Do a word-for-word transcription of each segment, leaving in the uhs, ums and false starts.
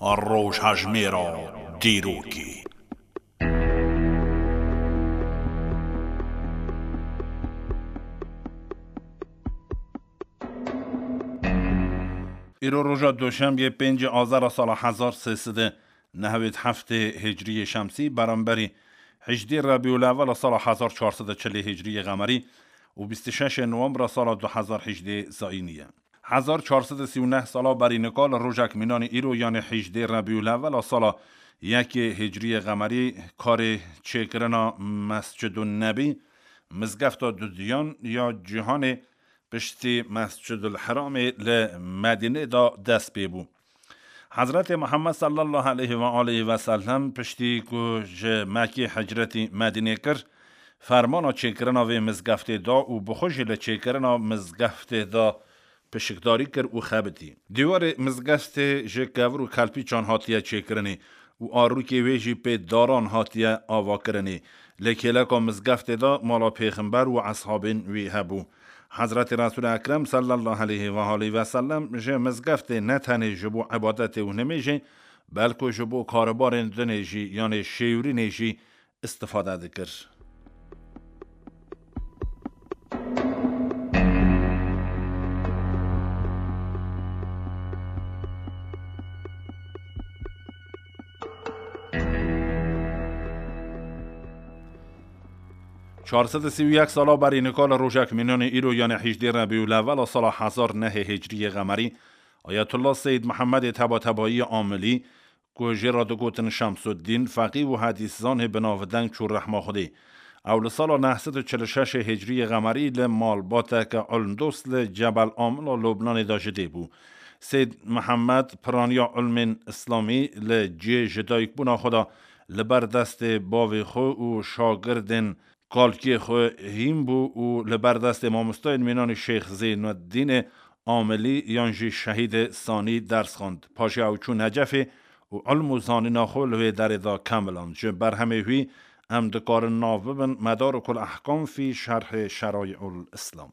Rojhejmêra dîrokê. Îro roja Doşembiyê, pêncê Azara sala hezar sê sed û nehewêd heftê Hicriyê Şemsî, beramberî hejdê Rebîul Ewwela sala hezar çar sed û çilê Hicriyê Qemerî û bîst û şeşê Nowembra sala du hezar hejdê Zayînî ye. Hezar çar sed û sî û neh sala berî nika li rojek mînanî îro, yanê hejdê Rebîul Ewwela sala yekê Hicriyê Qemerî, karê çêkirina Mescidun Nebî, Mizgefta Dudiyan ya Cîhanê, piştî Mescidul Heramê li Medînê de dest pê bû. Hezretê Muhammed sallallahu aleyhi ve aleyhi ve sellem piştî ku ji Mekkê hicretî Medînê kir, fermana çêkirina vê mizgeftê da û bi xwe jî li çêkirina mizgeftê de pişikdarî kir û xebitî. Dîwarê mizgeftê ji kevir û kelpîçan hatiye çêkirinê û arûkê wê jî pê daran hatiye avakirinê. Li kêleka mizgeftê de mala Pêxember û eshabên wî hebû. Hezretî Resul Ekrem sallallahu aleyhi ve aleyhi ve sellem ji mizgeftê ne tenê ji bo ibadetê û nimêjê, belku ji bo karibarên dinê jî, yanê şêwrînê jî istifade dikir. Çar sed û sî û yek sala berî nika li rojek mînanê îro, yanê hejdê Rebîul Ewwela sala hezar nehê Hicriyê Qemerî, Ayetullah Seyyid Mihemedê Tebatebayî Amilî, ku jê re digotin Şemsuddîn, feqî û hedîszanê bi navdeng çû rehma Xwedê. Ew li sala neh sed û çil û şeşê Hicriyê Qemerî li malbateke ilmdost li Cebel Amila Lubnanê de ji dê bû. Seyd Mihemed piraniya ilmên îslamî li cihê ji dayikbûna xwe de li ber destê bavê xwe û şagirdên kalkê xwe hîn bû û li ber destê mamostayên mînanî Şêx Zeynuddînê Amilî yan jî Şehîdê Sanî ders xwend. Paşê ew çû Necefê û ilm û zanîna xwe li wê derê de kemiland. Ji berhemê wî em dikarin nav bibin Medarikul Ehkam fî Şerhê Şeraiul Îslam.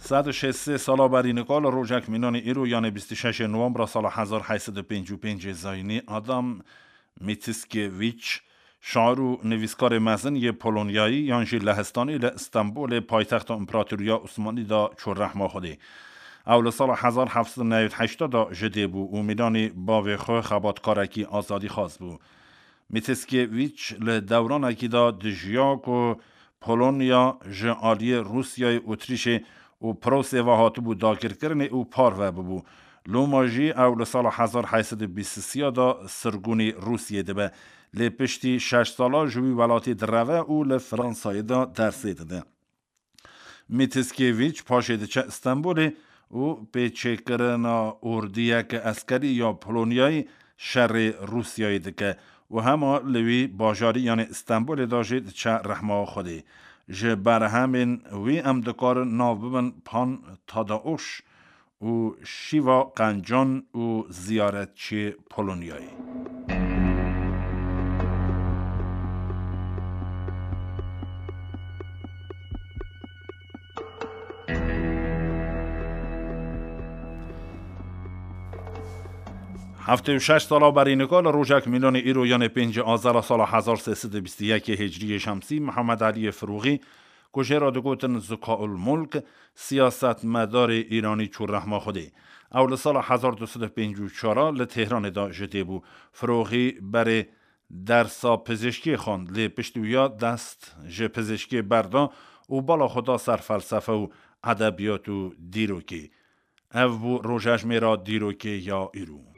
Sed û şêst sê sala berî nika li rojek mînanê îro, yanê bîst û şeşê Nowembra sala hezar heyt sed û pêncî û pêncê Zayînî, Adam Mickiewicz, şair û nivîskarê mezin yê Polonyayî yan jî Lehistanî, li Stenbolê, paytexta Împaratoriya Osmanî de çû rehma Xwedê. Ew li sala hezar heft sed û newî heşt de ji dê bû û mînanî bavê xwe xebatkarekî azadîxwaz bû. Mickiewicz li dewranekî de dijiya ku Polonya ji aliyê Rûsyayê, Otrîşê û Prûsê ve hatibû dagirkirinê û parve bibû. Loma jî ew li sala hezar heyt sed û bîst û sê de sirgûnî Rûsyê dibe. Lê piştî şeş sala ji wî welatê direve û li Fransayê de dersê dide. Mickiewicz paşê diçe Stenbolê û pêçêkirina ordiyeke eskerî ya Polonyayê şerê Rûsyayê dike û hema li wî bajarî, yanê Stenbolê de jî diçe rehma Xwedê. Ji berhemên wî em dikarin nav bibin Pan Tadeusz û Şîva Qencan û Ziyaretçiyê Polonyayê. Heftê û şeş sala berî nika li rojek mînanê îro, yanê pêncê Azara sala hezar sê sed û bîst û yekê Hicriyê Şemsî, Mihemed Eliyê Firoxî, ku jê re digotin Zikaul Mulk, siyasetmedarê îranî çû rehma Xwedê. Ew li sala hezar du sed û pêncî û çar li Tehranê de ji dê bû. Firoxî berê dersa pizîşkê xwend, lê piştî wiya dest ji pizîşkê berda û bala xwe da ser felsefe û edebiyat û dîrokê. Ev bû rojejmêra dîrokê ya îro.